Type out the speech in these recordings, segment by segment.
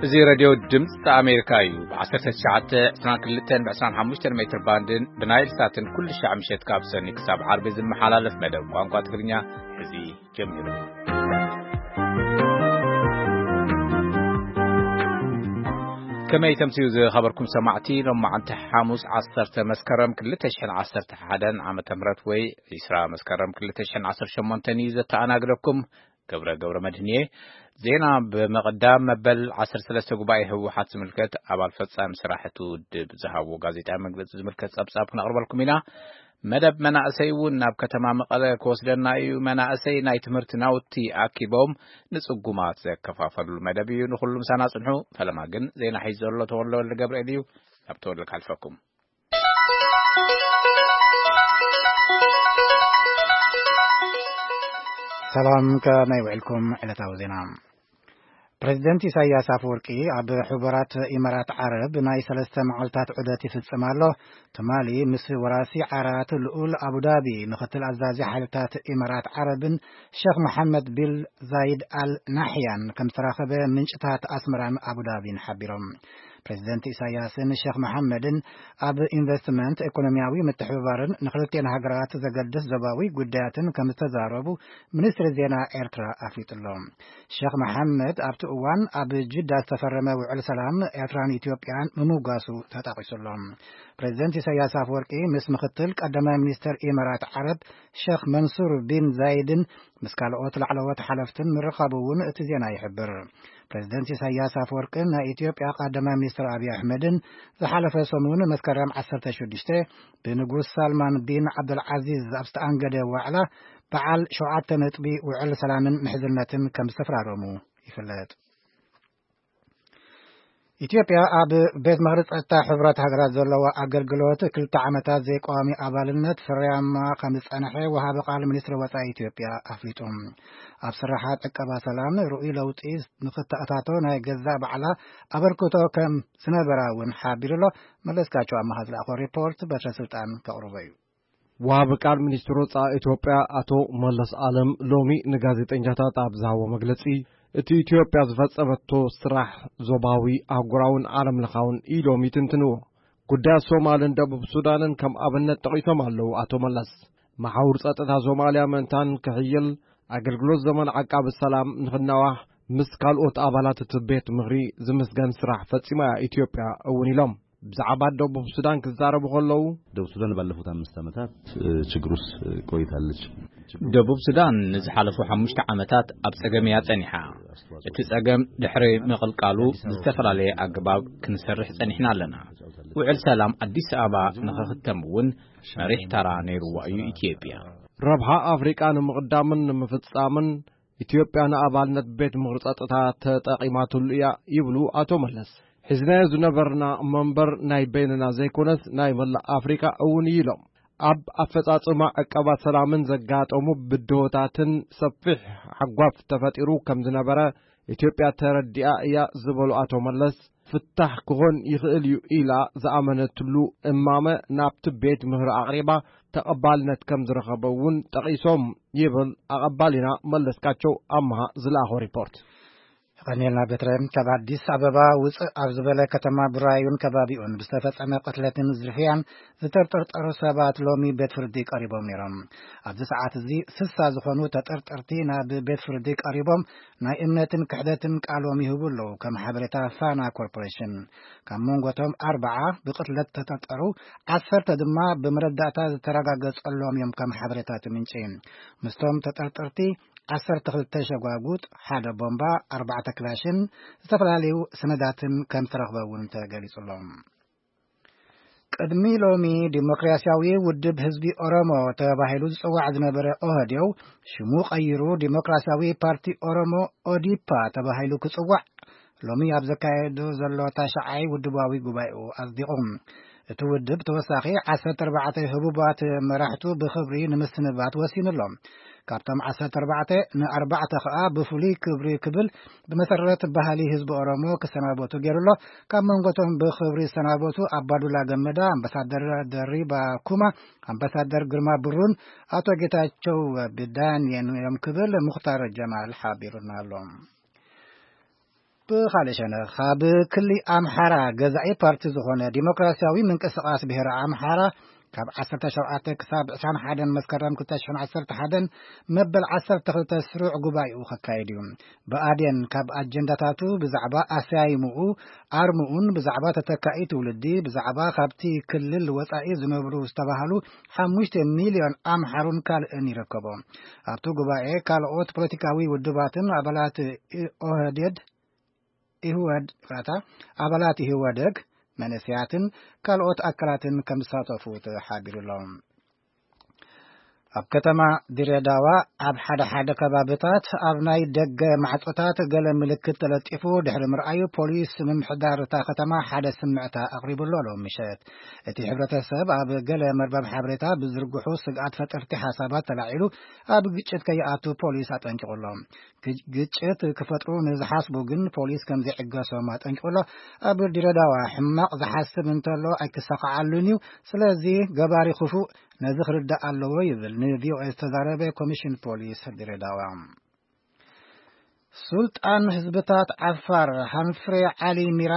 እዚ ሬድዮ ድምፂ ኣሜሪካ እዩ። ብ1922 ብ25 ሜትር ባንድን ብናይል ሳትን ኩሉ ሻዕ ምሸት ካብ ሰኒ ክሳብ ዓርቢ ዝመሓላለፍ መደብ ቋንቋ ትግርኛ እዚ ጀሚሩ። ከመይ ተምስዩ ዝኸበርኩም ሰማዕቲ፣ ሎማዓንቲ ሓሙስ 10 መስከረም 2011 ዓመተ ምህረት ወይ 20 መስከረም 2018 እዩ ዘተኣናግደኩም። ገብረ ገብረ መድህን እየ። ዜና ብምቕዳም፣ መበል 13 ጉባኤ ህወሓት ዝምልከት ኣባል ፈጻሚ ስራሕ እቲ ውድብ ዝሃብዎ ጋዜጣዊ መግለጺ ዝምልከት ጸብጻብ ክነቕርበልኩም ኢና። መደብ መናእሰይ እውን ናብ ከተማ መቐለ ክወስደና እዩ። መናእሰይ ናይ ትምህርቲ ናውቲ ኣኪቦም ንጽጉማት ዘከፋፈሉ መደብ እዩ። ንኹሉ ምሳና ጽንሑ። ፈለማ ግን ዜና ሒዙ ዘሎ ተወልደ ወልደ ገብርኤል እዩ። ናብ ተወልደ ካልፈኩም። ሰላም፣ ከመይ ውዕልኩም? ዕለታዊ ዜና። ፕሬዚደንት ኢሳያስ ኣፈወርቂ ኣብ ሕቡራት ኢማራት ዓረብ ናይ ሰለስተ መዓልታት ዑደት ይፍጽም ኣሎ። ትማሊ ምስ ወራሲ ዓራት ልኡል ኣቡዳቢ፣ ምክትል ኣዛዚ ሓይልታት ኢማራት ዓረብን ሸኽ መሓመድ ቢን ዛይድ ኣል ናሕያን ከም ዝተራኸበ ምንጭታት ኣስመራን ኣቡዳቢን ሓቢሮም። ፕሬዚደንት ኢሳያስን ሸኽ መሓመድን ኣብ ኢንቨስትመንት፣ ኢኮኖሚያዊ ምትሕብባርን ንክልቲኤን ሃገራት ዘገድስ ዞባዊ ጉዳያትን ከም ዝተዛረቡ ሚኒስትሪ ዜና ኤርትራ ኣፍሊጡ ኣሎ። ሸኽ መሓመድ ኣብቲ እዋን ኣብ ጅዳ ዝተፈረመ ውዕል ሰላም ኤርትራን ኢትዮጵያን ምምጓሱ ተጠቒሱ ኣሎ። ፕሬዚደንት ኢሳያስ ኣፈወርቂ ምስ ምክትል ቀዳማይ ሚኒስትር ኢማራት ዓረብ ሸኽ መንሱር ቢን ዛይድን ምስ ካልኦት ላዕለዎት ሓለፍትን ምርኻቡ እውን እቲ ዜና ይሕብር። ፕሬዚደንት ኢሳያስ ኣፈወርቅን ናይ ኢትዮጵያ ቀዳማይ ሚኒስትር ኣብይ ኣሕመድን ዝሓለፈ ሰሙን መስከረም 16 ብንጉስ ሳልማን ቢን ዓብደልዓዚዝ ኣብ ዝተኣንገደ ዋዕላ በዓል ሸውዓተ ነጥቢ ውዕል ሰላምን ምሕዝነትን ከም ዝተፈራረሙ ይፍለጥ። ኢትዮጵያ ኣብ ቤት ምኽሪ ጸጥታ ሕቡራት ሃገራት ዘለዋ ኣገልግሎት ክልተ ዓመታት ዘይቀዋሚ ኣባልነት ፍርያማ ከም ዝጸንሐ ወሃቢ ቃል ሚኒስትሪ ወጻኢ ኢትዮጵያ ኣፍሊጡ። ኣብ ስራሓት ዕቀባ ሰላም ርኡይ ለውጢ ንክተኣታቶ ናይ ገዛእ ባዕላ ኣበርክቶ ከም ዝነበራ እውን ሓቢሩ ኣሎ። መለስካቸው ኣማሃ ዝለኣኾ ሪፖርት በትረ ስልጣን ከቕርቦ እዩ። ወሃቢ ቃል ሚኒስትር ወጻኢ ኢትዮጵያ ኣቶ መለስ ኣለም ሎሚ ንጋዜጠኛታት ኣብ ዝሃቦ መግለጺ፣ እቲ ኢትዮጵያ ዝፈጸመቶ ስራሕ ዞባዊ፣ ኣህጉራውን ዓለም ለኻውን ኢሎም ይትንትንዎ። ጉዳያት ሶማልን ደቡብ ሱዳንን ከም ኣብነት ጠቒሶም ኣለዉ ኣቶ መለስ። መሓውር ጸጥታ ሶማልያ ምእንታን ክሕይል፣ ኣገልግሎት ዘመን ዓቃቢ ሰላም ንኽናዋሕ፣ ምስ ካልኦት ኣባላት እቲ ቤት ምኽሪ ዝምስገን ስራሕ ፈጺማ እያ ኢትዮጵያ እውን ኢሎም። ብዛዕባ ደቡብ ሱዳን ክዛረቡ ከለዉ፣ ደቡብ ሱዳን ባለፉት አምስት ዓመታት፣ እ፣ ችግር ውስጥ ቆይታለች። ደቡብ ሱዳን ንዝሓለፉ ሓሙሽተ ዓመታት ኣብ ጸገም እያ ጸኒሓ። እቲ ጸገም ድሕሪ ምቕልቃሉ ብዝተፈላለየ ኣገባብ ክንሰርሕ ጸኒሕና ኣለና። ውዕል ሰላም ኣዲስ ኣበባ ንኽኽተም እውን መሪሕ ተራ ነይርዋ እዩ ኢትዮጵያ። ረብሓ ኣፍሪቃ ንምቕዳምን ንምፍጻምን ኢትዮጵያ ንኣባልነት ቤት ምኽሪ ጸጥታ ተጠቒማትሉ እያ ይብሉ ኣቶ መለስ። ሒዝናዮ ዝነበርና መንበር ናይ በይንና ዘይኮነስ ናይ መላእ ኣፍሪቃ እውን እዩ ኢሎም። ኣብ ኣፈጻጽማ ዕቀባ ሰላምን ዘጋጠሙ ብድሆታትን ሰፊሕ ሓጓፍ ተፈጢሩ ከም ዝነበረ ኢትዮጵያ ተረዲኣ እያ ዝበሉ ኣቶ መለስ፣ ፍታሕ ክኾን ይኽእል እዩ ኢላ ዝኣመነትሉ እማመ ናብቲ ቤት ምኽሪ ኣቕሪባ ተቐባልነት ከም ዝረኸበ እውን ጠቒሶም ይብል ኣቐባሊና መለስካቸው ኣምሃ ዝለኣኾ ሪፖርት። የቐንየልና በትረ። ካብ ኣዲስ ኣበባ ውፅእ ኣብ ዝበለ ከተማ ቡራዩን ከባቢኡን ብዝተፈጸመ ቅትለትን ዝርፍያን ዝተጠርጠሩ ሰባት ሎሚ ቤት ፍርዲ ቀሪቦም ነይሮም። ኣብዚ ሰዓት እዚ ስሳ ዝኾኑ ተጠርጠርቲ ናብ ቤት ፍርዲ ቀሪቦም ናይ እምነትን ክሕደትን ቃሎም ይህቡ ኣለዉ። ከም ሓበሬታ ፋና ኮርፖሬሽን፣ ካብ መንጎቶም ኣርባዓ ብቅትለት ተጠርጠሩ፣ ዓሰርተ ድማ ብመረዳእታ ዝተረጋገጸሎም እዮም። ከም ሓበሬታ እቲ ምንጪ፣ ምስቶም ተጠርጠርቲ ዓሰርተ ክልተ ሸጓጉጥ፣ ሓደ ቦምባ፣ ኣርባዕተ ክላሽን ዝተፈላለዩ ሰነዳትን ከም ዝተረኽበ እውን ተገሊጹ ኣሎ። ቅድሚ ሎሚ ዲሞክራሲያዊ ውድብ ህዝቢ ኦሮሞ ተባሂሉ ዝጽዋዕ ዝነበረ ኦህዴው ሽሙ ቀይሩ ዲሞክራሲያዊ ፓርቲ ኦሮሞ ኦዲፓ ተባሂሉ ክጽዋዕ ሎሚ ኣብ ዘካየዱ ዘሎ ታሽዓይ ውድባዊ ጉባኤኡ ኣጽዲቑ። እቲ ውድብ ተወሳኺ ዓሰርተ ኣርባዕተ ህቡባት መራሕቱ ብኽብሪ ንምስንባት ወሲኑ ኣሎ። ካብቶም ዓሰርተ ኣርባዕተ ንኣርባዕተ ከኣ ብፍሉይ ክብሪ ክብል ብመሰረት ባህሊ ህዝቢ ኦሮሞ ክሰናበቱ ገይሩ ኣሎ። ካብ መንጎቶም ብኽብሪ ዝሰናበቱ ኣባዱላ ገመዳ፣ ኣምባሳደር ደሪባ ኩማ፣ ኣምባሳደር ግርማ ብሩን ኣቶ ጌታቸው ብዳንየን እዮም ክብል ሙኽታር ጀማል ሓቢሩና ኣሎ። ብኻልእ ሸነኽ፣ ኣብ ክሊ ኣምሓራ ገዛኢ ፓርቲ ዝኾነ ዲሞክራሲያዊ ምንቅስቓስ ብሄረ ኣምሓራ፣ ካብ ዓሰርተ ሸውዓተ ክሳብ ዕስራን ሓደን መስከረም ክልተ ሽሕን ዓሰርተ ሓደን መበል ዓሰርተ ክልተ ስሩዕ ጉባኤኡ ከካይድ እዩ። ብኣዴን ካብ ኣጀንዳታቱ ብዛዕባ ኣሰያይምኡ፣ ኣርምኡን ብዛዕባ ተተካኢ ትውልዲ፣ ብዛዕባ ካብቲ ክልል ወጻኢ ዝነብሩ ዝተባህሉ ሓሙሽተ ሚልዮን ኣምሓሩን ካልእን ይርከቦ። ኣብቲ ጉባኤ ካልኦት ፖለቲካዊ ውድባትን ኣባላት ኦህዴድ፣ ኢህወድ፣ ይቕረታ፣ ኣባላት ኢህወደግ፣ መንእሰያትን ካልኦት ኣካላትን ከም ዝሳተፉ ተሓቢሩ ኣሎ። ኣብ ከተማ ድሬዳዋ ኣብ ሓደ ሓደ ከባብታት ኣብ ናይ ደገ ማዕጾታት ገለ ምልክት ተለጢፉ ድሕሪ ምርኣዩ፣ ፖሊስ ምምሕዳር እታ ከተማ ሓደ ስምዕታ ኣቕሪቡ ኣሎ ሎም ምሸት። እቲ ሕብረተሰብ ኣብ ገለ መርበብ ሓበሬታ ብዝርግሑ ስግኣት ፈጠርቲ ሓሳባት ተላዒሉ ኣብ ግጭት ከይኣቱ ፖሊስ ኣጠንቂቑ ኣሎ። ግጭት ክፈጥሩ ንዝሓስቡ ግን ፖሊስ ከም ዘይዕገሶም ኣጠንቂቑ ኣሎ። ኣብ ድሬዳዋ ሕማቕ ዝሓስብ እንተሎ ኣይክሰኻዓሉን እዩ። ስለዚ ገባሪ ክፉእ ነዚ ክርዳእ ኣለዎ ይብል ንቪኦኤ ዝተዛረበ ኮሚሽን ፖሊስ ድሬዳዋ። ሱልጣን ህዝብታት ዓፋር ሃንፍሬ ዓሊ ሚራ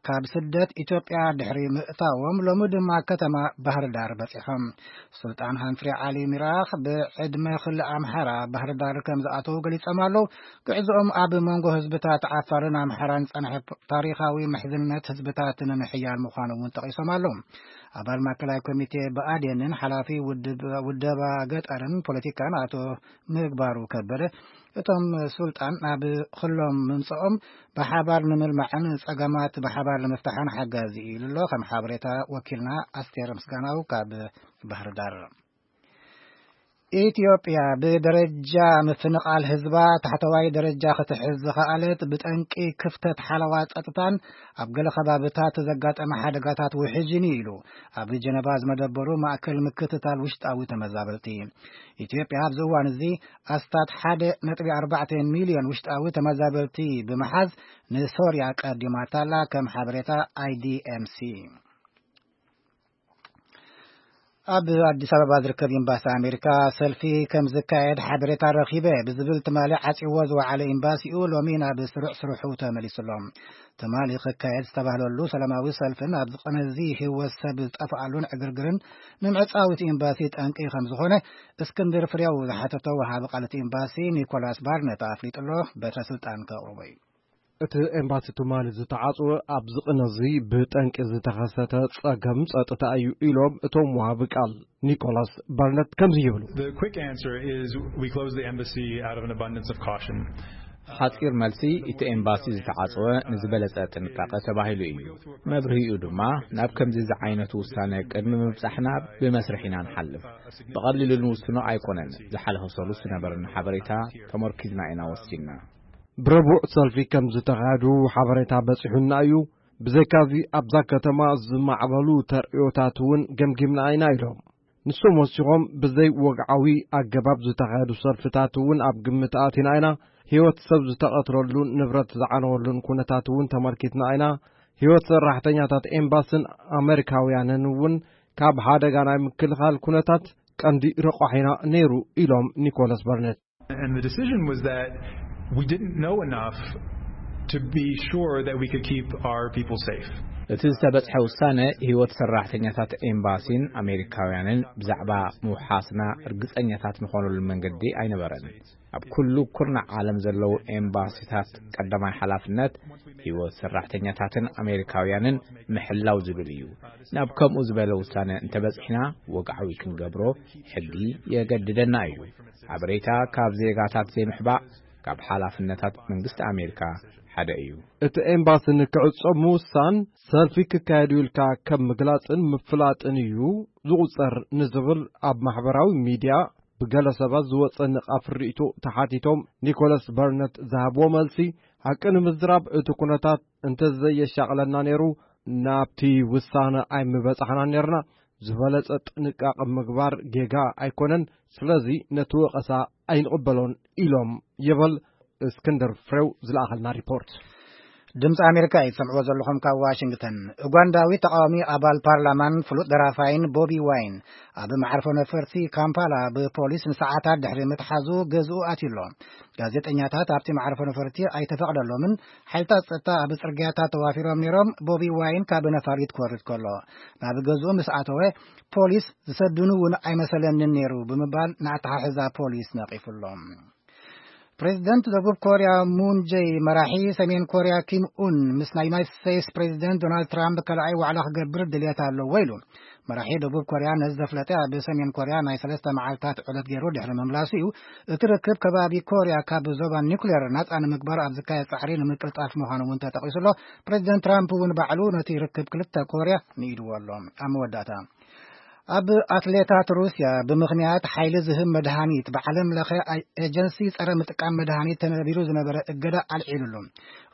ካብ ስደት ኢትዮጵያ ድሕሪ ምእታዎም ሎሚ ድማ ከተማ ባህር ዳር በጺሖም። ሱልጣን ሃንፍሬ ዓሊ ሚራ ብዕድመ ክሊ ኣምሓራ ባህር ዳር ከም ዝኣተዉ ገሊጾም ኣለዉ። ጉዕዞኦም ኣብ መንጎ ህዝብታት ዓፋርን ኣምሓራን ዝጸንሐ ታሪኻዊ ምሕዝነት ህዝብታት ንምሕያል ምዃኑ እውን ጠቒሶም ኣለዉ። ኣባል ማእከላይ ኮሚቴ ብኣዴንን ሓላፊ ውድብ-፣ ውደባ ገጠርን ፖለቲካን ኣቶ ምግባሩ ከበደ፣ እቶም ሱልጣን ናብ ክሎም ምምጽኦም ብሓባር ንምልማዕን ጸገማት ብሓባር ንምፍታሕን ሓጋዚ እዩ ኢሉ ኣሎ። ከም ሓበሬታ ወኪልና ኣስቴር ምስጋናው ካብ ባህር ዳር። ኢትዮጵያ ብደረጃ ምፍንቓል ህዝባ ታሕተዋይ ደረጃ ክትሕዝ ዝኸኣለት ብጠንቂ ክፍተት ሓለዋ ጸጥታን ኣብ ገለ ከባብታት ዘጋጠመ ሓደጋታት ውሕጅን እዩ ኢሉ ኣብ ጀነቫ ዝመደበሩ ማእከል ምክትታል ውሽጣዊ ተመዛበልቲ። ኢትዮጵያ ኣብዚ እዋን እዚ ኣስታት ሓደ ነጥቢ ኣርባዕተ ሚልዮን ውሽጣዊ ተመዛበልቲ ብምሓዝ ንሶርያ ቀዲማታላ፣ ከም ሓበሬታ ኣይዲኤምሲ። ኣብ ኣዲስ ኣበባ ዝርከብ ኤምባሲ ኣሜሪካ ሰልፊ ከም ዝካየድ ሓበሬታ ረኺበ ብዝብል ትማሊ ዓጽይዎ ዝወዓለ ኤምባሲኡ ሎሚ ናብ ስሩዕ ስርሑ ተመሊሱ ኣሎ። ትማሊ ክካየድ ዝተባህለሉ ሰላማዊ ሰልፍን ኣብዚ ቅነ እዚ ህይወት ሰብ ዝጠፍኣሉን ዕግርግርን ንምዕጻው እቲ ኤምባሲ ጠንቂ ከም ዝኾነ እስክንድር ፍሬው ዝሓተቶ ወሃቢ ቃል እቲ ኤምባሲ ኒኮላስ ባርነት ኣፍሊጡ ኣሎ። በትረ ስልጣን ከቕርቦ እዩ። እቲ ኤምባሲ ትማሊ ዝተዓጽወ ኣብዚ ቅነ እዚ ብጠንቂ ዝተኸሰተ ጸገም ጸጥታ እዩ ኢሎም እቶም ወሃቢ ቃል ኒኮላስ ባርነት ከምዚ ይብሉ። The quick answer is we closed the embassy out of an abundance of caution. ሓጺር መልሲ፣ እቲ ኤምባሲ ዝተዓጽወ ንዝበለጸ ጥንቃቐ ተባሂሉ እዩ። መብርሂኡ ድማ ናብ ከምዚ ዝዓይነቱ ውሳነ ቅድሚ ምብጻሕና ብመስርሕ ኢና ንሓልፍ። ብቐሊሉ ንውስኖ ኣይኮነን። ዝሓለፈ ሰሉስ ዝነበረና ሓበሬታ ተመርኪዝና ኢና ወሲንና። ብረቡዕ ሰልፊ ከም ዝተኻየዱ ሓበሬታ በጺሑና እዩ። ብዘይካዚ ኣብዛ ከተማ ዝማዕበሉ ተርእዮታት እውን ገምጊምና ኢና ኢሎም። ንሶም ወሲኾም ብዘይ ወግዓዊ ኣገባብ ዝተኻየዱ ሰልፍታት እውን ኣብ ግምት ኣቲና ኢና። ህይወት ሰብ ዝተቐትለሉን ንብረት ዝዓነወሉን ኩነታት እውን ተመልኪትና ኢና። ህይወት ሰራሕተኛታት ኤምባስን ኣመሪካውያንን እውን ካብ ሓደጋ ናይ ምክልኻል ኩነታት ቀንዲ ረቋሒና ነይሩ ኢሎም ኒኮላስ በርነት። And the decision was that we didn't know enough to be sure that we could keep our people safe. እቲ ዝተበጽሐ ውሳነ ህይወት ሰራሕተኛታት ኤምባሲን ኣሜሪካውያንን ብዛዕባ ምውሓስና ርግጸኛታት ንኾነሉ መንገዲ ኣይነበረን። ኣብ ኩሉ ኩርናዕ ዓለም ዘለዉ ኤምባሲታት ቀዳማይ ሓላፍነት ህይወት ሰራሕተኛታትን ኣሜሪካውያንን ምሕላው ዝብል እዩ። ናብ ከምኡ ዝበለ ውሳነ እንተበጺሕና ወግዓዊ ክንገብሮ ሕጊ የገድደና እዩ። ሓበሬታ ካብ ዜጋታት ዘይምሕባእ ካብ ሓላፍነታት መንግስቲ ኣሜሪካ ሓደ እዩ። እቲ ኤምባሲ ንክዕጾ ምውሳን ሰልፊ ክካየድ እዩ ኢልካ ከም ምግላጽን ምፍላጥን እዩ ዝቑጸር ንዝብል ኣብ ማሕበራዊ ሚድያ ብገለ ሰባት ዝወጸ ንቓፍ ርእይቶ ተሓቲቶም ኒኮላስ በርነት ዝሃብዎ መልሲ፣ ሓቂ ንምዝራብ እቲ ኩነታት እንተዘየሻቕለና ነይሩ ናብቲ ውሳነ ኣይምበጻሕናን ነርና። ዝበለጸ ጥንቃቐ ምግባር ጌጋ ኣይኮነን። ስለዚ ነቲ ወቐሳ ኣይንቕበሎን ኢሎም ይብል እስክንድር ፍሬው ዝለኣኸልና ሪፖርት። ድምፂ ኣሜሪካ እዩ ትሰምዕዎ ዘለኹም ካብ ዋሽንግተን። ኡጋንዳዊ ተቃዋሚ ኣባል ፓርላማን ፍሉጥ ደራፋይን ቦቢ ዋይን ኣብ መዓርፎ ነፈርቲ ካምፓላ ብፖሊስ ንሰዓታት ድሕሪ ምትሓዙ ገዝኡ ኣትዩ ኣሎ። ጋዜጠኛታት ኣብቲ መዓርፎ ነፈርቲ ኣይተፈቕደሎምን። ሓይልታት ጸጥታ ኣብ ጽርግያታት ተዋፊሮም ነይሮም። ቦቢ ዋይን ካብ ነፋሪት ክወርድ ከሎ ናብ ገዝኡ ምስ ኣተወ ፖሊስ ዝሰድኑ እውን ኣይመሰለንን ነይሩ ብምባል ንኣተሓሕዛ ፖሊስ ነቒፉ ኣሎ። ፕሬዚደንት ደቡብ ኮርያ ሙን ጀይ መራሒ ሰሜን ኮርያ ኪም ኡን ምስ ናይ ዩናይትድ ስቴትስ ፕሬዚደንት ዶናልድ ትራምፕ ካልኣይ ዋዕላ ክገብር ድልየት ኣለዎ ኢሉ። መራሒ ደቡብ ኮርያ ነዚ ዘፍለጠ ኣብ ሰሜን ኮርያ ናይ ሰለስተ መዓልታት ዕለት ገይሩ ድሕሪ ምምላሱ እዩ። እቲ ርክብ ከባቢ ኮርያ ካብ ዞባ ኒውክሌር ናፃ ንምግባር ኣብ ዝካየድ ፃዕሪ ንምቅልጣፍ ምዃኑ እውን ተጠቒሱ ኣሎ። ፕሬዚደንት ትራምፕ እውን ባዕሉ ነቲ ርክብ ክልተ ኮርያ ንኢድዎ ኣሎ። ኣብ መወዳእታ ኣብ ኣትሌታት ሩስያ ብምኽንያት ሓይሊ ዝህብ መድሃኒት ብዓለም ለኸ ኣይ- ኤጀንሲ ጸረ ምጥቃም መድሃኒት ተነቢሩ ዝነበረ እገዳ ኣልዒሉሉ።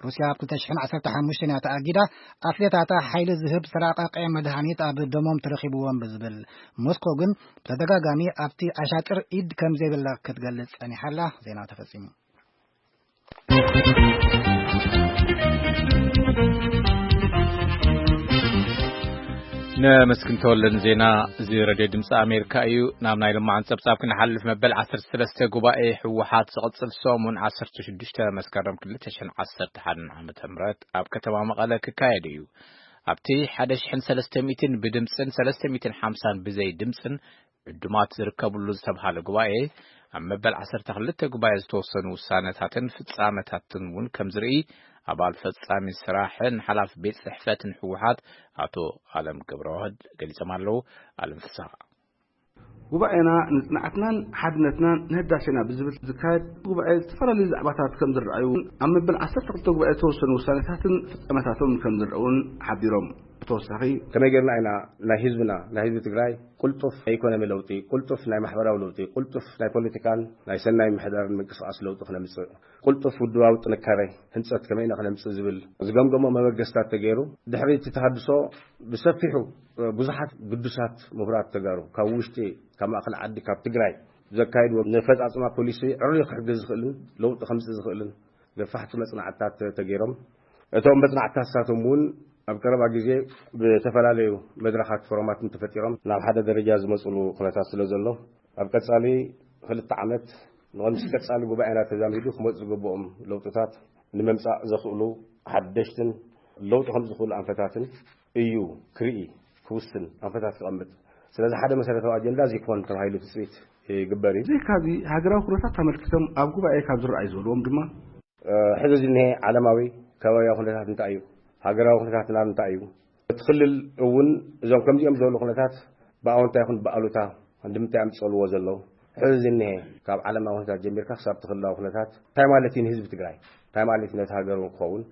ሩስያ ኣብ ክልተ ሽሕን ዓሰርተ ሓሙሽተን እያ ተኣጊዳ። ኣትሌታታ ሓይሊ ዝህብ ዝተራቀቀ መድሃኒት ኣብ ደሞም ተረኺብዎም ብዝብል፣ ሞስኮ ግን ብተደጋጋሚ ኣብቲ ኣሻጥር ኢድ ከም ዘይብላ ክትገልጽ ጸኒሓላ። ዜና ተፈጺሙ። ነመስግን ተወልደን ዜና። እዚ ረድዮ ድምፂ ኣሜሪካ እዩ። ናብ ናይ ልማዓን ፀብፃብ ክንሓልፍ፣ መበል ዓሰርተ ሰለስተ ጉባኤ ህወሓት ዝቕፅል ሰሙን ዓሰርተ ሽዱሽተ መስከረም ክልተ ሽሕን ዓሰርተ ሓደን ዓመተ ምህረት ኣብ ከተማ መቐለ ክካየድ እዩ። ኣብቲ ሓደ ሽሕን ሰለስተ ሚእትን ብድምፅን ሰለስተ ሚእትን ሓምሳን ብዘይ ድምፅን ዕዱማት ዝርከብሉ ዝተብሃለ ጉባኤ፣ ኣብ መበል ዓሰርተ ክልተ ጉባኤ ዝተወሰኑ ውሳነታትን ፍጻመታትን እውን ከም ዝርኢ ኣባል ፈጻሚ ስራሕን ሓላፊ ቤት ጽሕፈትን ህወሓት ኣቶ ኣለም ገብረዋህድ ገሊጾም ኣለዉ። ኣለም ፍስሃ። ጉባኤና ንጽንዓትናን ሓድነትናን ንህዳሴና ብዝብል ዝካየድ ጉባኤ ዝተፈላለዩ ዛዕባታት ከም ዝረኣዩ፣ ኣብ መበል ዓሰርተ ክልተ ጉባኤ ዝተወሰኑ ውሳነታትን ፍጻመታቶም ከም ዝረኣውን ሓቢሮም። ብተወሳኺ ከመይ ጌርና ኢና ናይ ህዝብና፣ ናይ ህዝቢ ትግራይ ቅልጡፍ ናይ ኢኮኖሚ ለውጢ፣ ቅልጡፍ ናይ ማሕበራዊ ለውጢ፣ ቅልጡፍ ናይ ፖለቲካን ናይ ሰናይ ምሕዳርን ምንቅስቃስ ለውጢ ክነምፅእ፣ ቅልጡፍ ውድባዊ ጥንካሬ ህንፀት ከመይ ኢና ክነምፅእ ዝብል ዝገምገሞ መበገስታት ተገይሩ። ድሕሪ እቲ ተሃድሶ ብሰፊሑ ብዙሓት ግዱሳት ምሁራት ተጋሩ ካብ ውሽጢ፣ ካብ ማእኸል ዓዲ፣ ካብ ትግራይ ዘካይድዎ ነፈፃፅማ ፖሊሲ ዕርዩ ክሕግዝ ዝኽእልን ለውጢ ከምፅእ ዝኽእልን ገፋሕቲ መፅናዕትታት ተገይሮም። እቶም መፅናዕትታት ንሳቶም እውን ኣብ ቀረባ ግዜ ብተፈላለዩ መድረኻት ፎረማትን ተፈጢሮም ናብ ሓደ ደረጃ ዝመፅሉ ኩነታት ስለ ዘሎ፣ ኣብ ቀፃሊ ክልተ ዓመት ንቐምስ ቀፃሊ ጉባኤና ተዛሚዱ ክመፁ ዝግብኦም ለውጥታት ንምምፃእ ዘኽእሉ ሓደሽትን ለውጢ ከም ዝኽእሉ ኣንፈታትን እዩ ክርኢ፣ ክውስን፣ ኣንፈታት ክቐምጥ። ስለዚ ሓደ መሰረታዊ ኣጀንዳ እዚ ክኾን ተባሂሉ ትፅቢት ይግበር እዩ። ብዘይካዚ፣ ሃገራዊ ኩነታት ተመልኪቶም ኣብ ጉባኤ ካብ ዝረኣዩ ዝበልዎም ድማ፣ እ፣ ሕዚ ዝኒሀ ዓለማዊ ከባቢያዊ ኩነታት እንታይ እዩ? ሃገራዊ ኩነታትና እንታይ እዩ? እቲ ክልል እውን እዞም ከምዚኦም ዝበሉ ኩነታት ብኣወንታ ይኹን ብኣሉታ እንድምታ የምፅእልዎ ዘለዉ? ሕዚ ዝኒሀ ካብ ዓለማዊ ኩነታት ጀሚርካ ክሳብ እቲ ክልላዊ ኩነታት እንታይ ማለት እዩ ንህዝቢ ትግራይ? እንታይ ማለት እዩ ነቲ ሃገር እውን ክኸውን?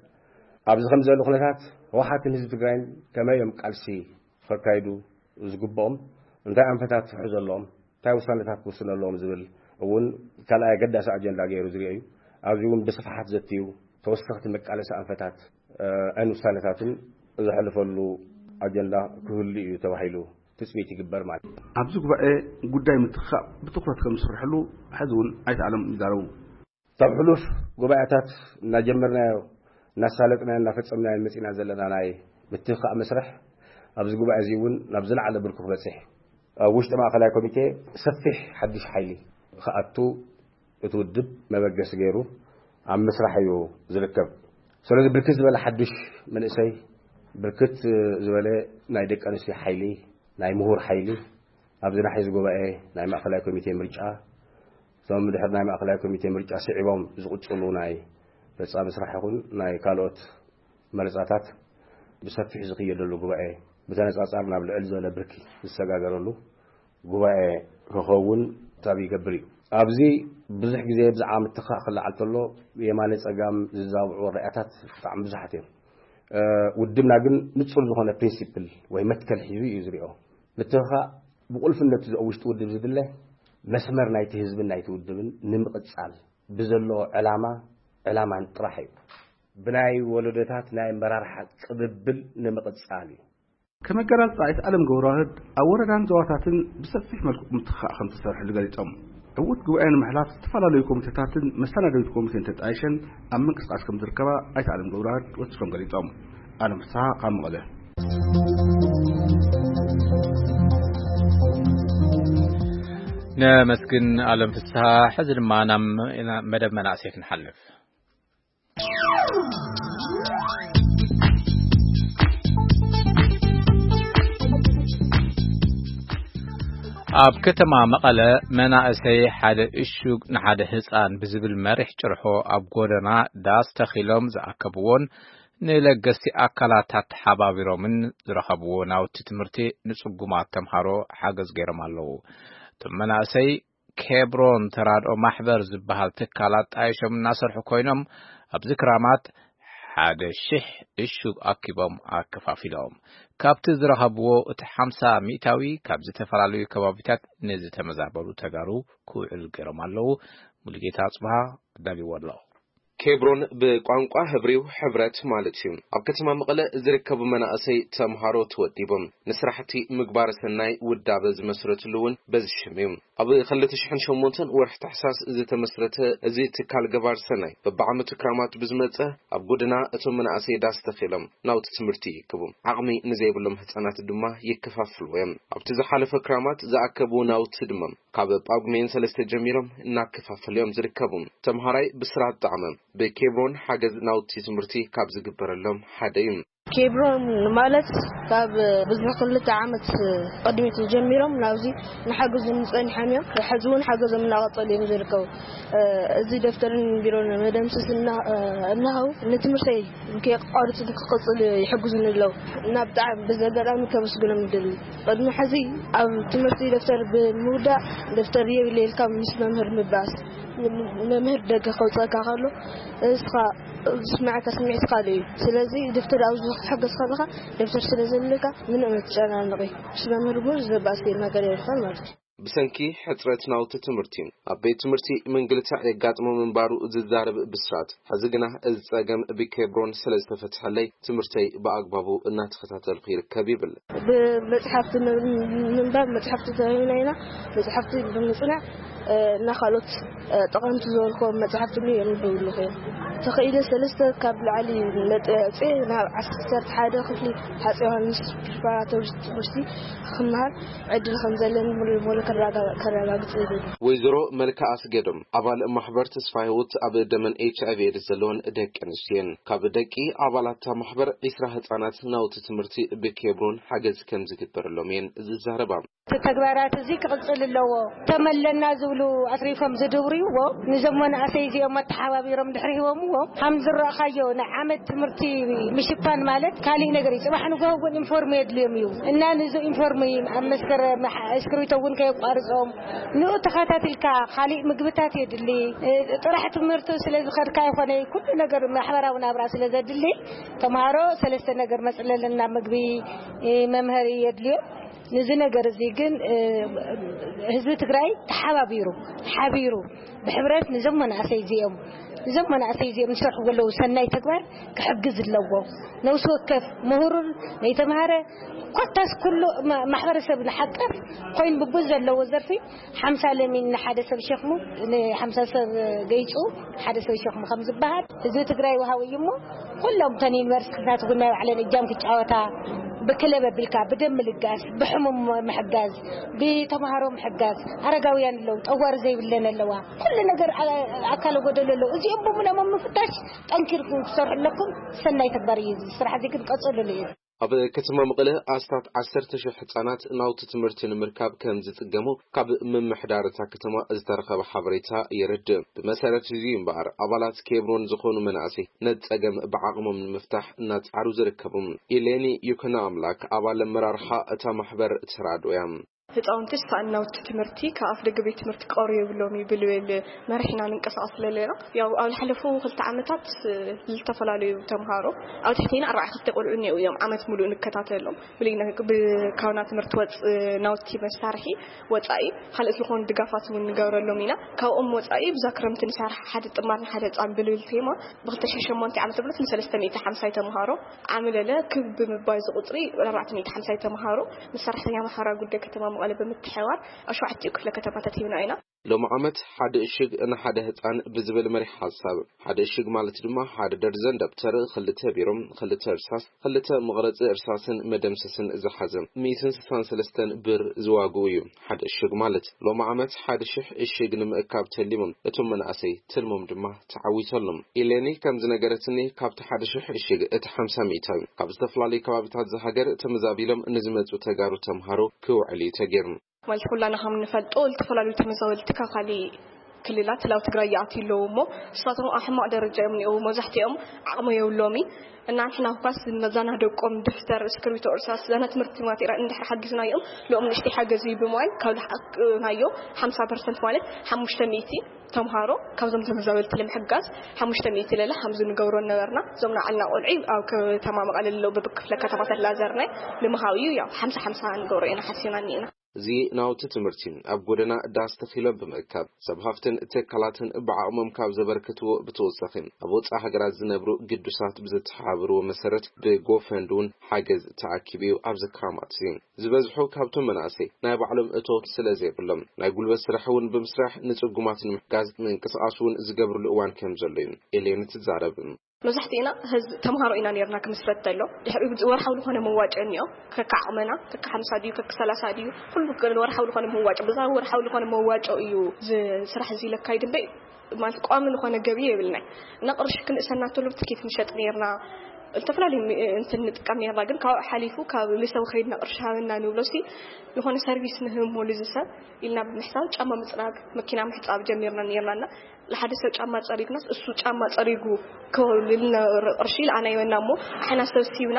ኣብዚ ከም ዘሎ ኩነታት ህወሓትን ህዝቢ ትግራይን ከመይ እዮም ቃልሲ ከካይዱ ዝግብኦም? እንታይ ኣንፈታት ክሕዙ ኣለዎም? እንታይ ውሳነታት ክውስኑ ኣለዎም ዝብል እውን ካልኣይ ኣገዳሲ ኣጀንዳ ገይሩ ዝሪኦ እዩ። ኣብዚ እውን ብስፍሓት ዘትዩ ተወሰኽቲ መቃለሲ ኣንፈታት፣ እ፣ ን ውሳነታትን ዘሕልፈሉ ኣጀንዳ ክህሉ እዩ ተባሂሉ ትፅቢት ይግበር ማለት እዩ። ኣብዚ ጉባኤ ጉዳይ ምትኽኻእ ብትኹረት ከም ዝስርሐሉ ሕዚ እውን ኣይተ ኣለም ይዛረቡ። ካብ ሕሉፍ ጉባኤታት እናጀመርናዮ፣ እናሳለጥናዮ፣ እናፈጸምናዮ መጺና ዘለና ናይ ምትኽኻእ መስርሕ ኣብዚ ጉባኤ እዚ እውን ናብ ዝለዓለ ብርኩ ክበጽሕ፣ ኣብ ውሽጢ ማእከላይ ኮሚቴ ሰፊሕ ሓድሽ ሓይሊ ክኣቱ እቲ ውድብ መበገሲ ገይሩ ኣብ ምስራሕ እዩ ዝርከብ። ስለዚ ብርክት ዝበለ ሓድሽ መንእሰይ፣ ብርክት ዝበለ ናይ ደቂ ኣንስትዮ ሓይሊ፣ ናይ ምሁር ሓይሊ ኣብዚ ናሕዚ ጉባኤ ናይ ማእከላይ ኮሚቴ ምርጫ፣ እቶም ድሕሪ ናይ ማእከላይ ኮሚቴ ምርጫ ስዒቦም ዝቕጽሉ ናይ ፈጻሚ ስራሕ ይኹን ናይ ካልኦት መረጻታት ብሰፊሕ ዝኽየደሉ ጉባኤ፣ ብተነጻጻር ናብ ልዕል ዝበለ ብርኪ ዝሰጋገረሉ ጉባኤ ክኸውን ታብ ይገብር እዩ። ኣብዚ ብዙሕ ግዜ ብዛዕባ ምትኻእ ክለዓል ተሎ የማነ ጸጋም ዝዛብዑ ራእያታት ብጣዕሚ ብዙሓት እዮም። እ፣ ውድብና ግን ንጹር ዝኾነ ፕሪንሲፕል ወይ መትከል ሒዙ እዩ ዝሪኦ። ምትኻእ ብቁልፍነቱ ኣብ ውሽጢ ውድብ ዝድለ መስመር ናይቲ ህዝብን ናይቲ ውድብን ንምቕጻል ብዘሎ ዕላማ፣ ዕላማን ጥራሕ እዩ። ብናይ ወለዶታት ናይ ኣመራርሓ ቅብብል ንምቕጻል እዩ። ከም ኣገላልጻ ኣይተ ኣለም ገብረዋህድ፣ ኣብ ወረዳን ዞባታትን ብሰፊሕ መልክዑ ምትኻእ ከም ተሰርሐሉ ገሊጾም። ዕዉት ጉባኤ ንምሕላፍ ዝተፈላለዩ ኮሚቴታትን መሰናደዊት ኮሚቴን ተጣይሸን ኣብ ምንቅስቃስ ከም ዝርከባ ኣይተ ኣለም ገብረዋህድ ወሲኾም ገሊጾም። ኣለም ፍስሓ ካብ መቐለ። ነመስግን ኣለም ፍስሓ። ሕዚ ድማ ናብ መደብ መናእሰይ ክንሓልፍ። ኣብ ከተማ መቐለ መናእሰይ ሓደ እሹግ ንሓደ ህፃን ብዝብል መሪሕ ጭርሖ ኣብ ጎደና ዳስ ተኺሎም ዝኣከብዎን ንለገስቲ ኣካላት ኣተሓባቢሮምን ዝረኸብዎ ናውቲ ትምህርቲ ንፅጉማት ተምሃሮ ሓገዝ ገይሮም ኣለዉ። እቶም መናእሰይ ኬብሮን ተራድኦ ማሕበር ዝበሃል ትካል ኣጣይሾም እናሰርሑ ኮይኖም፣ ኣብዚ ክራማት ሓደ ሽሕ እሹግ ኣኪቦም ኣከፋፊሎም። ካብቲ ዝረኸብዎ እቲ ሓምሳ ሚእታዊ ካብ ዝተፈላለዩ ከባቢታት ንዝተመዛበሉ ተጋሩ ክውዕል ገይሮም ኣለዉ። ሙሉጌታ ኣጽብሃ ኣዳልዎ ኣሎ። ኬብሮን ብቋንቋ ህብሪው ሕብረት ማለት እዩ። ኣብ ከተማ መቐለ ዝርከቡ መናእሰይ ተምሃሮ ተወዲቦም ንስራሕቲ ምግባር ሰናይ ውዳበ ዝመስረትሉ እውን በዚ ሽም እዩ። ኣብ ክልተ ሽሕን ሸሞንተን ወርሒ ታሕሳስ ዝተመስረተ እዚ ትካል ገባር ሰናይ በብዓመቱ ክራማት ብዝመጸ ኣብ ጎደና እቶም መናእሰይ ዳስ ተኺሎም ናውቲ ትምህርቲ ይእክቡ። ዓቕሚ ንዘይብሎም ህጻናት ድማ ይከፋፍልዎ እዮም። ኣብቲ ዝሓለፈ ክራማት ዝኣከብዎ ናውቲ ድማ ካብ ጳጉሜን ሰለስተ ጀሚሮም እናከፋፈሉ እዮም ዝርከቡ። ተምሃራይ ብስራት ጣዕመ ብኬብሮን ሓገዝ ናውቲ ትምህርቲ ካብ ዝግበረሎም ሓደ እዩ። ኬብሮን ማለት ካብ ብዙሕ ክልተ ዓመት ቅድሚት ጀሚሮም ናብዚ ንሓግዞም ጸኒሖም እዮም። ሕዚ እውን ሓገዞም እናቐጸሉ እዮም ዝርከቡ። እዚ ደፍተርን ቢሮን መደምሰስ እና-፣ እናሃው ንትምህርተይ ከየቋርጽ ክቕጽል ይሕግዙኒ ኣለዉ። እና ብጣዕሚ በዚ ኣጋጣሚ ከመስግኖም ይደሊ። ቅድሚ ሕዚ ኣብ ትምህርቲ ደፍተር ብምውዳእ ደፍተር የብለ ኢልካ ምስ መምህር ምባስ፣ መምህር ደገ ከውፀካ ከሎ እስኻ ዝስምዓካ ስምዒት ካልእ እዩ። ስለዚ ደፍተር ኣብ ዝሕገዝ ከለኻ ደፍተር ስለ ዘለካ ምንም ኣይትጨናነቂ። ምስ መምህር እውን ዝበኣስ ነገር የብልካን ማለት እዩ። ብሰንኪ ሕጽረት ናውቲ ትምህርቲ ኣብ ቤት ትምህርቲ ምንግልታዕ የጋጥሞ ምንባሩ ዝዛረብ ብስራት፣ ሕዚ ግና እዚ ጸገም ብኬብሮን ስለ ዝተፈትሐለይ ትምህርተይ ብኣግባቡ እናተኸታተልኩ ይርከብ ይብል። ብመጽሓፍቲ ም-፣ ምንባብ መጽሓፍቲ ተዋሂብና ኢና። መጽሓፍቲ ብምጽናዕ፣ እ፣ እና ካልኦት፣ እ፣ ጠቐምቲ ዝበልክዎም መጽሓፍቲ እውን የንብብ ኣለኹ እየ። ተኽኢለ ሰለስተ ካብ ላዕሊ ነጥቢ ኣውፅኤ ናብ ዓሰርተ ሓደ ክፍሊ ሃፀይ ዮሃንስ ፕሪፓራቶሪ ትምህርቲ ክመሃር ዕድል ከም ዘለኒ ሙሉ በሙሉ ከረጋ-፣ ከረጋግፅ ይደሊ። ወይዘሮ መልክኣ ኣስገዶም ኣባል ማሕበር ተስፋ ህይወት ኣብ ደመን ኤች ኣይ ቪ ኤድስ ዘለወን ደቂ ኣንስትዮ እየን። ካብ ደቂ ኣባላት እታ ማሕበር ዒስራ ህፃናት ናውቲ ትምህርቲ ብኬብሮን ሓገዝ ከም ዝግበረሎም እየን ዝዛረባ። እቲ ተግባራት እዚ ክቕፅል ኣለዎ። ተመለና ዝብሉ ኣትሪፎም ዝድብርይዎ፣ ንዞም መናእሰይ እዚኦም ኣተሓባቢሮም ድሕሪ ሂቦምዎ፣ ከም ዝረእኻዮ ናይ ዓመት ትምህርቲ ምሽፋን ማለት ካሊእ ነገር እዩ። ጽባሕ ንግሆ እውን ኢንፎርም የድልዮም እዩ። እና ንዚ ኢንፎርም ኣብ መስከረም ሓ-፣ እስክሪብቶ እውን ከየቋርጾም፣ ንኡ ተኸታቲልካ ካሊእ ምግብታት የድሊ። እ፣ ጥራሕ ትምህርቲ ስለ ዝኸድካ ይኾነ፣ ኩሉ ነገር ማሕበራዊ ናብራ ስለ ዘድሊ፣ ተምሃሮ ሰለስተ ነገር መጽለልና፣ ምግቢ፣ እ፣ መምሃሪ የድልዮም። ንዚ ነገር እዚ ግን፣ እ፣ ህዝቢ ትግራይ ተሓባቢሩ፣ ሓቢሩ፣ ብሕብረት ንዞም መናእሰይ እዚኦም፣ ንዞም መናእሰይ እዚኦም ዝሰርሕዎ ዘለዉ ሰናይ ተግባር ክሕግዝ ኣለዎ። ነብሲ ወከፍ ምሁርን ነይተምሃረ፣ ኮታስ ኩሉ ማ-፣ ማሕበረሰብ ንሓቀፍ ኮይኑ ብብዙ ዘለዎ ዘርፊ ሓምሳ ለሚን ንሓደ ሰብ ሸኽሙ፣ ንሓምሳ ሰብ ገይጹ ሓደ ሰብ ሸኽሙ ከም ዝበሃል፣ ህዝቢ ትግራይ ወሃዊ እዩ እሞ፣ ኩሎም እተን ዩኒቨርሲቲታት እውን ናይ ባዕለን እጃም ክጫወታ፣ ብክለብ ኣቢልካ፣ ብደም ምልጋስ፣ ብሕሙም ምሕጋዝ፣ ብተምሃሮ ምሕጋዝ፣ ኣረጋውያን ኣለዉ፣ ጠዋሪ ዘይብለን ኣለዋ፣ ኩሉ ነገር ኣ-፣ ኣካለ ጎደሎ ኣለዉ። እዚኦም ብምሎም ኣብ ምፍታሽ ጠንኪርኩም ክትሰርሑ ኣለኩም። ሰናይ ተግባር እዩ። እዚ ስራሕ እዚ ግን ቀጽሉሉ እዩ። ኣብ ከተማ መቐለ ኣስታት ዓሰርተ ሽሕ ህጻናት ናውቲ ትምህርቲ ንምርካብ ከም ዝጽገሙ ካብ ምምሕዳር እታ ከተማ ዝተረኸበ ሓበሬታ የረድእ። ብመሰረት እዚ እምበኣር፣ ኣባላት ኬብሮን ዝኾኑ መናእሰይ ነቲ ጸገም ብዓቕሞም ንምፍታሕ እናጻዕሩ ዝርከቡ። ኢሌኒ ይኩኖ ኣምላክ ኣባል ኣመራርሓ እታ ማሕበር ተራድኦ እያ። ህፃውንቲ ሳእኒ ናውቲ ትምህርቲ ካብ ኣፍ ደገ ቤት ትምህርቲ ክቐርቡ የብሎም እዩ ብልብል መሪሕና ንንቀሳቐስ ዘለና። ያው ኣብ ዝሓለፉ ክልተ ዓመታት፣ እ፣ ዝተፈላለዩ ተምሃሮ ኣብ ትሕቴና ኣርባዓ ክልተ ቆልዑ እኒአው እዮም ዓመት ሙሉእ ንከታተሎም። ብልይ ነ-፣ ብ-፣ ካብና ትምህርቲ ወፅ-፣ ናውቲ መሳርሒ ወፃኢ ካልኦት ዝኾኑ ድጋፋት እውን ንገብረሎም ኢና። ካብኦም ወፃኢ ብዛ ክረምቲ ንሰርሕ ሓደ ጥማር ንሓደ ህፃን ብልብል ቴማ ብክልተ ሽሕን ሸሞንተን ዓመተ ምህረት ንሰለስተ ሚእቲ ሓምሳይ ተምሃሮ ዓምለለ ክብ ብምባይ እዚ ቁፅሪ ኣርባዕተ ሚእቲ ሓምሳይ ተምሃሮ ምስ ሰራሕተኛ ማሕበራዊ ጉዳይ ከተማ መቐለ ብምትሕብባር ኣብ ሸውዓቲኡ ክፍለ ከተማታት ሂብና ኢና። ሎሚ ዓመት ሓደ እሽግ ንሓደ ህፃን ብዝብል መሪሕ ሓሳብ፣ ሓደ እሽግ ማለት ድማ ሓደ ደርዘን ደብተር፣ ክልተ ቢሮ፣ ክልተ እርሳስ፣ ክልተ መቕረፂ እርሳስን መደምሰስን ዝሓዘ፣ ሚእትን ስሳን ሰለስተን ብር ዝዋግኡ እዩ። ሓደ እሽግ ማለት። ሎሚ ዓመት ሓደ ሽሕ እሽግ ንምእካብ ተሊሞም እቶም መናእሰይ፣ ትልሞም ድማ ተዓዊተሎም። ኢሌኒ ከም ዝነገረትኒ፣ ካብቲ ሓደ ሽሕ እሽግ እቲ ሓምሳ ሚእታዊ ካብ ዝተፈላለዩ ከባቢታት ዝሃገር ተመዛቢሎም ንዝመፁ ተጋሩ ተምሃሮ ክውዕል እዩ ተገይሩ። ማለት ኩላና ከም ንፈልጦ፣ ዝተፈላለዩ ተመዛበልቲ ካብ ካልእ ክልላት ናብ ትግራይ ይኣትዩ ኣለዉ እሞ፣ ንሳቶም ኣብ ሕማቕ ደረጃ እዮም እኒአው። መብዛሕትኦም ዓቕሚ የብሎምን። እና ንሕና እኳስ ነዛና ደቆም ደፍተር፣ እስክርቢቶ፣ እርሳስ፣ ዘና ትምህርቲ ማቴሪያል እንድሕር ሓጊዝናዮም፣ ልኦም ንእሽተይ ሓገዝ እዩ ብምባል፣ ካብ ልሓቅናዮ ሓምሳ ፐርሰንት ማለት ሓሙሽተ ሚእቲ ተምሃሮ ካብዞም ተመዛበልቲ ንምሕጋዝ ሓሙሽተ ሚእቲ ለለ ሓምዚ ንገብሮ ነበርና። እዞም ንዓልና ቆልዑ ኣብ ከተማ መቐለ ለለዉ በብክፍለ ከተማታት ላዘርናይ ንምሃብ እዩ። ያው ሓምሳ ሓምሳ ንገብሮ ኢና ሓሲብና እኒእና። እዚ ናውቲ ትምህርቲ ኣብ ጎደና ዳስ ተኺሎም ብምእካብ፣ ሰብ ሃፍትን ትካላትን ብዓቕሞም ካብ ዘበርክትዎ ብተወሳኺ፣ ኣብ ወጻኢ ሃገራት ዝነብሩ ግዱሳት ብዝተሓባበርዎ መሰረት ብጎፈንድ እውን ሓገዝ ተኣኪቡ እዩ። ኣብዚ ክራማት እዚ ዝበዝሑ ካብቶም መናእሰይ ናይ ባዕሎም እቶት ስለ ዘይብሎም፣ ናይ ጉልበት ስራሕ እውን ብምስራሕ ንጽጉማት ንምሕጋዝ ምንቅስቓስ እውን ዝገብርሉ እዋን ከም ዘሎ እዩ ኤሌን ትዛረብ። መብዛሕትእና ህዝቢ ተምሃሮ ኢና ነርና ክምስረት ተሎ። ድሕሪኡ ወርሓዊ ዝኾነ መዋጮ እኒኦ። ከካ ዓቕመና፣ ከካ ሓምሳ ድዩ፣ ከካ ሰላሳ ድዩ፣ ኩሉ ወርሓዊ ዝኾነ መዋጮ፣ ብዛ ወርሓዊ ዝኾነ መዋጮ እዩ እዚ ስራሕ እዚ ለካይድ እምበር፣ ማለት ቋሚ ዝኾነ ገቢ የብልናይ። እና ቅርሺ ክንእሰና ተሎ ትኬት ንሸጥ ነርና፣ ዝተፈላለዩ ሚ-፣ እንትን ንጥቀም ነርና። ግን ካብኡ ሓሊፉ ካብ ልሰው ከይድና ቅርሺ ሃበና ንብሎ ሲ፣ ዝኾነ ሰርቪስ ንህብ ሞሉ እዚ ሰብ ኢልና ብምሕሳብ ጫማ ምጽራግ፣ መኪና ምሕጻብ ጀሚርና ነርና። እና ንሓደ ሰብ ጫማ ጸሪግናስ፣ እሱ ጫማ ጸሪጉ ክህልልና ቅርሺ ኢልኣና ይወና እሞ፣ ኣሕና ሰብ ሲብና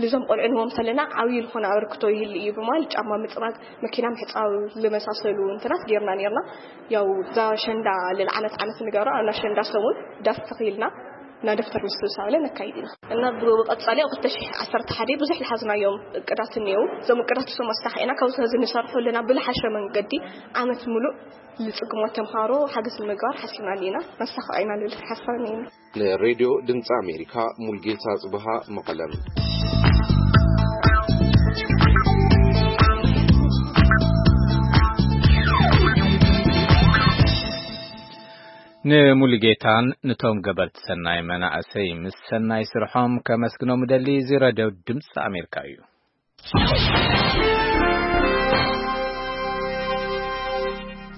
ልዞም ቆልዑ ንህቦም ተለና፣ ዓብዪ ዝኾነ ኣበርክቶ ይህል እዩ ብምባል፣ ጫማ ምጽራግ፣ መኪና ምሕጻብ ዝመሳሰሉ እንትናት ጌርና ኔርና። ያው፣ እዛ ሸንዳ ልል ዓመት ዓመት ንገብራ፣ ኣብ ኣሸንዳ ሰሙን ዳስ ተኺልና፣ እና ደፍተር ምስብሳብለ ነካይድ ኢና። እና ብቐጻሊ ኣብ ክልተ ሽሕ ዓሰርተ ሓደ ብዙሕ ዝሓዝናዮም እቅዳት እኒአው። እዞም እቅዳት እሶም ኣሳኺዕና፣ ካብዚ ሕዚ ንሰርሖ ኣለና ብልሓሸ መንገዲ ዓመት ሙሉእ ልጽግሞ ተምሃሮ ሓገዝ ንምግባር ሓሲብና ኣለና። ነሳኽዕ ኢና ልብል ሓሳብ እኒአና። ንሬድዮ ድምፂ ኣሜሪካ፣ ሙልጌታ ጽብሃ፣ መቐለም። ንሙሉጌታን ንቶም ገበርቲ ሰናይ መናእሰይ ምስ ሰናይ ስርሖም ከመስግኖም እደሊ። እዚ ረድዮ ድምፂ ኣሜሪካ እዩ።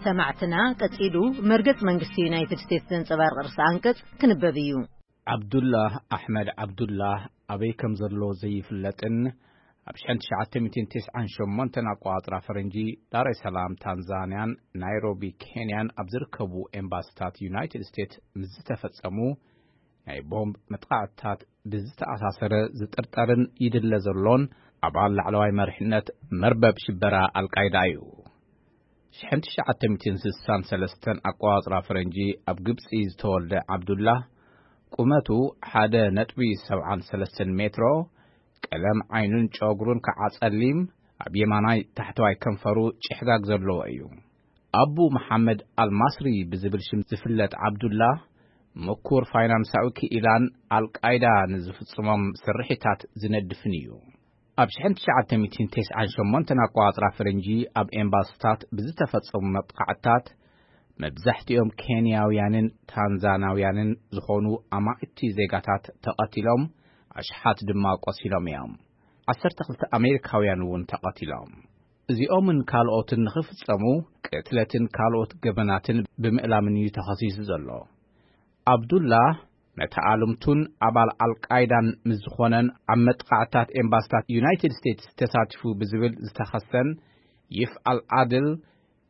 ሰማዕትና፣ ቀጺሉ መርገጽ መንግስቲ ዩናይትድ ስቴትስ ዘንጸባርቕ ርእሰ ኣንቀጽ ክንበብ እዩ። ዓብዱላህ ኣሕመድ ዓብዱላህ ኣበይ ከም ዘሎ ዘይፍለጥን፣ ኣብ ሽሕን ትሽዓተ ሚእትን ተስዓን ሸሞንተን ኣቆጻጽራ ፈረንጂ፣ ዳሬ ሰላም ታንዛንያን ናይሮቢ ኬንያን ኣብ ዝርከቡ ኤምባሲታት ዩናይትድ ስቴትስ ምስ ዝተፈጸሙ ናይ ቦምብ መጥቃዕትታት ብዝተኣሳሰረ ዝጥርጠርን ይድለ ዘሎን ኣባል ላዕለዋይ መሪሕነት መርበብ ሽበራ ኣልቃይዳ እዩ። ሽሕን ትሽዓተ ሚእትን ስሳን ሰለስተን ኣቆጻጽራ ፈረንጂ ኣብ ግብጺ ዝተወልደ ዓብዱላህ፣ ቁመቱ ሓደ ነጥቢ ሰብዓን ሰለስተን ሜትሮ፣ ቀለም ዓይኑን ጨጉሩን ከዓ ጸሊም፣ ኣብ የማናይ ታሕተዋይ ከንፈሩ ጭሕጋግ ዘለዎ እዩ። ኣቡ መሓመድ ኣልማስሪ ብዝብል ሽም ዝፍለጥ ዓብዱላህ፣ ምኩር ፋይናንሳዊ ክኢላን ኣልቃይዳ ንዝፍጽሞም ስርሒታት ዝነድፍን እዩ። ኣብ ሽሕን ትሽዓተ ሚእትን ተስዓን ሸሞንተን ኣቆጻጽራ ፈረንጂ ኣብ ኤምባሲታት ብዝተፈጸሙ መጥቃዕትታት፣ መብዛሕትኦም ኬንያውያንን ታንዛናውያንን ዝኾኑ ኣማኢቲ ዜጋታት ተቐቲሎም፣ ኣሽሓት ድማ ቆሲሎም እዮም። ዓሰርተ ክልተ ኣሜሪካውያን እውን ተቐቲሎም። እዚኦምን ካልኦትን ንኽፍጸሙ፣ ቅትለትን ካልኦት ገበናትን ብምእላምን እዩ ተኸሲሱ ዘሎ። ዓብዱላህ፣ መተኣልምቱን ኣባል ኣልቃይዳን ምስ ዝኾነን፣ ኣብ መጥቃዕትታት ኤምባሲታት ዩናይትድ ስቴትስ ተሳቲፉ ብዝብል ዝተኸሰን ይፍ ኣልዓድል፣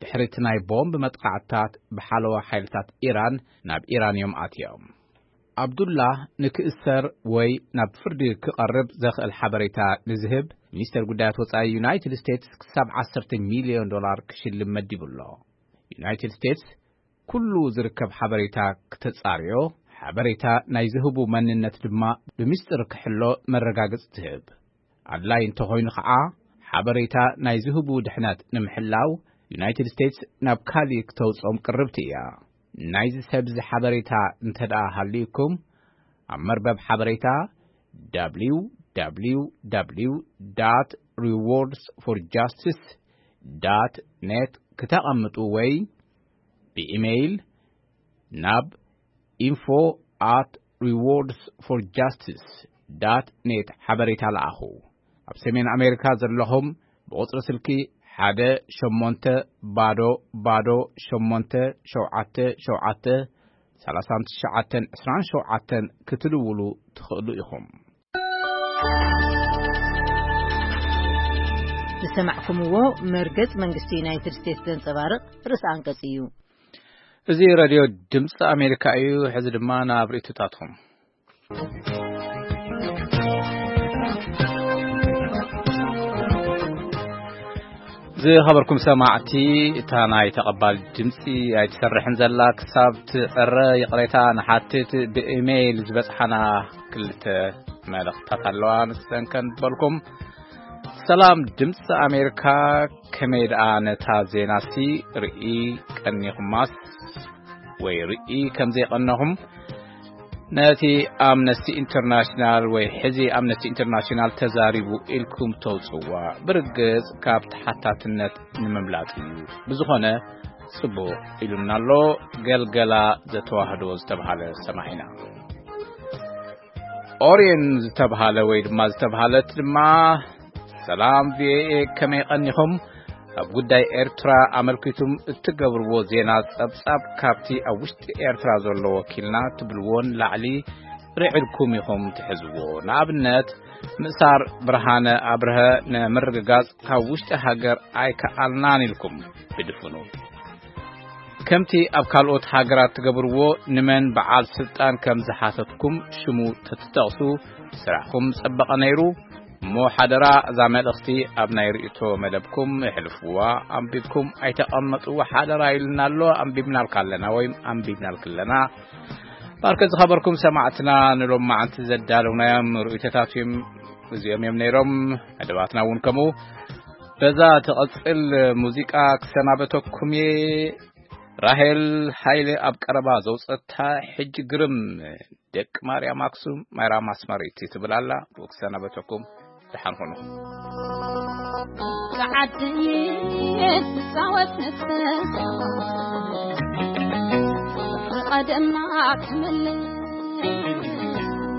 ድሕሪ እቲ ናይ ቦምብ መጥቃዕትታት ብሓለዋ ሓይልታት ኢራን ናብ ኢራን እዮም ኣትዮም። ዓብዱላህ ንክእሰር ወይ ናብ ፍርዲ ክቐርብ ዘኽእል ሓበሬታ ንዝህብ፣ ሚኒስተር ጉዳያት ወጻኢ ዩናይትድ ስቴትስ ክሳብ ዓሰርተ ሚልዮን ዶላር ክሽልም መዲቡ ኣሎ። ዩናይትድ ስቴትስ ኩሉ ዝርከብ ሓበሬታ ክተጻርዮ፣ ሓበሬታ ናይ ዝህቡ መንነት ድማ ብምስጢር ክሕሎ መረጋገጺ ትህብ። ኣድላይ እንተኾይኑ ኸዓ፣ ሓበሬታ ናይ ዝህቡ ድሕነት ንምሕላው፣ ዩናይትድ ስቴትስ ናብ ካሊእ ክተውጽኦም ቅርብቲ እያ። ናይዚ ሰብ እዚ ሓበሬታ እንተ ደኣ ሃልዩኩም፣ ኣብ መርበብ ሓበሬታ www dot rewards for justice dot net ክተቐምጡ ወይ ብኢሜይል ናብ info at rewards for justice dot net ሓበሬታ ለኣኹ። ኣብ ሰሜን ኣሜሪካ ዘለኹም ብቁጽሪ ስልኪ ሓደ ሸሞንተ ባዶ ባዶ ሸሞንተ ሸውዓተ ሸውዓተ ሰላሳን ትሽዓተን ዕስራን ሸውዓተን ክትድውሉ ትኽእሉ ኢኹም። ዝሰማዕኩምዎ መርገጽ መንግስቲ ዩናይትድ ስቴትስ ዘንጸባርቕ ርእሰ ኣንቀጽ እዩ። እዚ ሬድዮ ድምፂ ኣሜሪካ እዩ። ሕዚ ድማ ናብ ርእይቶታትኩም። ዝኸበርኩም ሰማዕቲ፣ እታ ናይ ተቐባል ድምፂ ኣይትሰርሕን ዘላ ክሳብ ትዕረ ይቕሬታ ንሓትት። ብኢሜይል ዝበፅሓና ክልተ መልእኽትታት ኣለዋ፣ ንሰን ከንበልኩም። ሰላም ድምፂ ኣሜሪካ፣ ከመይ ደኣ ነታ ዜናሲ ርኢ ቀኒኹማስ ወይ ርኢ ከም ዘይቐነኹም ነቲ ኣምነስቲ ኢንተርናሽናል ወይ ሕዚ ኣምነስቲ ኢንተርናሽናል ተዛሪቡ ኢልኩም ተውፅዋ ብርግፅ ካብ ተሓታትነት ንምምላጥ እዩ። ብዝኾነ ጽቡቕ ኢሉና ኣሎ። ገልገላ ዘተዋህዶ ዝተብሃለ ሰማዒና። ኦርየን ዝተብሃለ ወይ ድማ ዝተብሃለት ድማ፣ ሰላም ቪኦኤ፣ ከመይ ቀኒኹም? ኣብ ጉዳይ ኤርትራ ኣመልኪቱም እትገብርዎ ዜና ጸብጻብ ካብቲ ኣብ ውሽጢ ኤርትራ ዘሎ ወኪልና ትብልዎን ላዕሊ ርዒድኩም ኢኹም ትሕዝዎ። ንኣብነት፣ ምእሳር ብርሃነ ኣብርሀ ንምርግጋጽ ካብ ውሽጢ ሃገር ኣይከኣልናን ኢልኩም ብድፍኑ። ከምቲ ኣብ ካልኦት ሃገራት ትገብርዎ፣ ንመን በዓል ስልጣን ከም ዝሓተትኩም ሽሙ ተትጠቕሱ ስራሕኩም ጸበቐ ነይሩ። እሞ ሓደራ፣ እዛ መልእኽቲ ኣብ ናይ ርእይቶ መደብኩም የሕልፍዋ። ኣንቢብኩም ኣይተቐመጡ፣ ሓደራ ኢልና ኣሎ። ኣንቢብናልካ ኣለና ወይም ኣንቢብናልክ ኣለና። ባርከ ዝኸበርኩም ሰማዕትና፣ ንሎማዓንቲ ዘዳለውናዮም ርእይቶታት እዮም፣ እዚኦም እዮም ነይሮም። መደባትና እውን ከምኡ። በዛ ትቐጽል ሙዚቃ ክሰናበተኩም እየ። ራሄል ሃይለ ኣብ ቀረባ ዘውጸታ ሕጂ ግርም ደቂ ማርያም ኣክሱም፣ ማርያም ኣስመሪት ትብል ኣላ። ብኡ ክሰናበተኩም። ደሓን ኹኑ። ብዓዲ ትጻወት ንስኻ ብቐደማ ክምልስ፣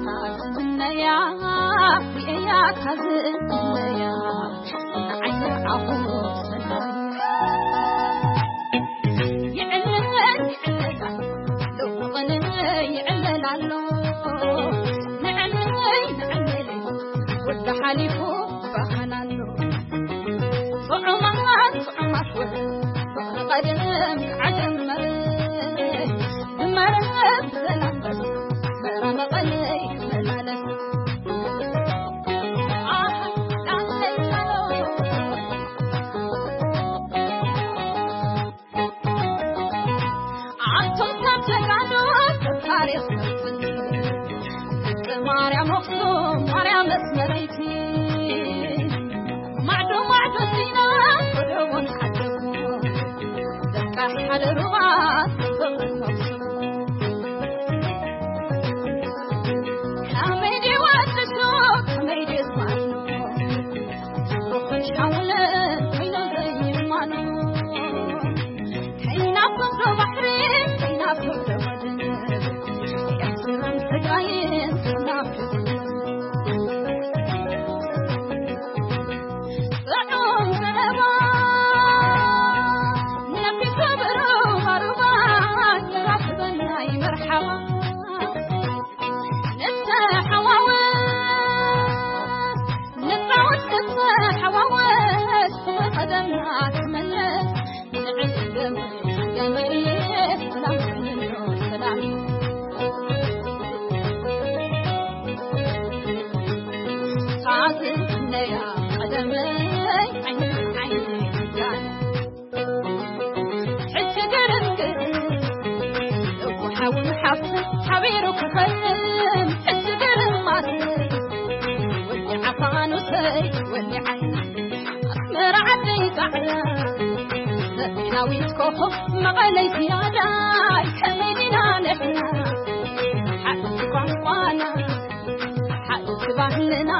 ታዝምነያ ርእያ ታዝምነያ ንዓይ ንዓኹ ሰናይ። ይዕለል ይዕለል ኣሎ፣ ሎሚ ቐነ ይዕለል ኣሎ። ንዕለይ ንዕለይ ወዲ ሓሊፉ ባህና ኣሎ። ጥዑማት ጥዑማት ወ-፣ ፍቕሪ ቀደም ዓጀመረ። ዝመረ ብዘላምበስ መራ መቐለይ መላለስ። ኣህ፣ ዳንተይ ሳሎ። ኣንቱም ሰብ ጀጋኑ፣ ሰብ ታሪኽ መዝን፣ ደቂ ማርያም ኣኽሱም፣ ማርያም ኣስመረይቲ። ማዕዶ ማዕዶ ዲና፣ ወደ እውን ሓደጉ፣ ደቂ ሓደ ሩባ፣ ጽብቕቲ ኣኽሱም። ከመይ ድዩ ኣዲሱ፣ ከመይ ድዩ ዝማኑ፣ ሩኽን ሻውልን ኮይኑ ዘይማኑ። ከይናፍቕ ዶ ባሕሪ፣ ከይናፍቕ ዶ ወደብ፣ ኤርትራን ትግራይን ትናፍቕ። ጥዑም ዘረባ፣ ነቢሱ ብሩኽ ኣሩባ፣ ይራኽበና ይመርሓባ። ንተሓዋወስ፣ ንጻወት ንተሓዋወስ፣ ብቐደምና ክምለስ፣ ንዕልም ገመ-፣ ገመ-፣ ሰላም፣ ሰላም። ሳዝን ነያ ቀደመይ፣ ዓይኒ፣ ዓይኒ፣ ጃን። ሕጂ ግርምግር፣ እኮ ሓውን ሓፍትን ሓቢሩ ክኸልም። ሕጂ ግርማት፣ ወዲ ዓፋኑሰይ፣ ወዲ ዓይኒ፣ ኣስመራ ዓደይ ጻዕዳ፣ ዘመናዊት ኮኾብ መቐለይ ዝያዳይ፣ ከመይ ዲና ንሕና፣ ሓንቲ ቋንቋና፣ ሓንቲ ባህልና፣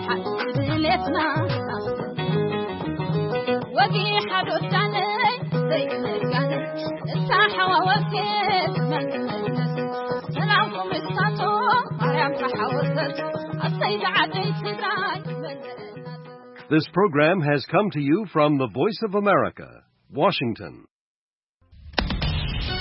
ሓንቲ ድሌትና፣ ወጊ ሓዶዳነይ ዘይክነጋነ። ወኬት መንነት ሰላምኩም ይብዛሕቶ ማርያም ተሓወሰት ኣሰይ ዝዓደይ ትግራይ መንነት This program has come to you from the Voice of America, Washington.